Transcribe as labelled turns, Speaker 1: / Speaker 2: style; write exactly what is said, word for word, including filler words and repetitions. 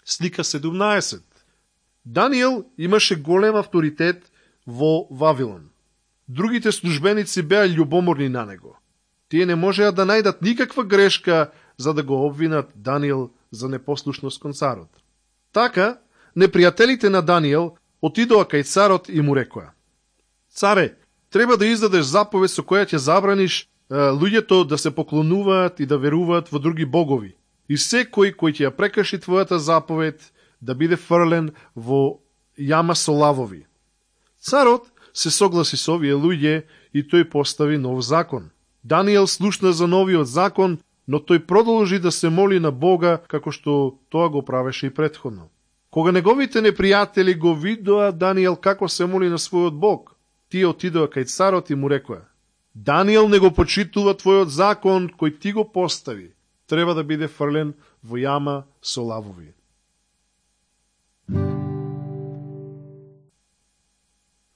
Speaker 1: Слика седумнаесет. Даниел имаше голем авторитет во Вавилон. Другите службеници беа љубоморни на него. Тие не можеа да најдат никаква грешка за да го обвинат Даниел за непослушност кон царот. Така, непријателите на Даниел отидоа кај царот и му рекоа: Царе, треба да издадеш заповед со која ќе забраниш е, луѓето да се поклонуваат и да веруваат во други богови. И секој кој ќе ја прекрши твојата заповед да биде фрлен во јама со лавови. Царот се согласи со овие луѓе и тој постави нов закон. Даниел слушна за новиот закон, но тој продолжи да се моли на Бога како што тоа го правеше и претходно. Кога неговите непријатели го видоа Даниел како се моли на својот Бог, тие отидоа кај царот и му рекоа: Даниел не го почитува твојот закон кој ти го постави, треба да биде фрлен во јама со лавови.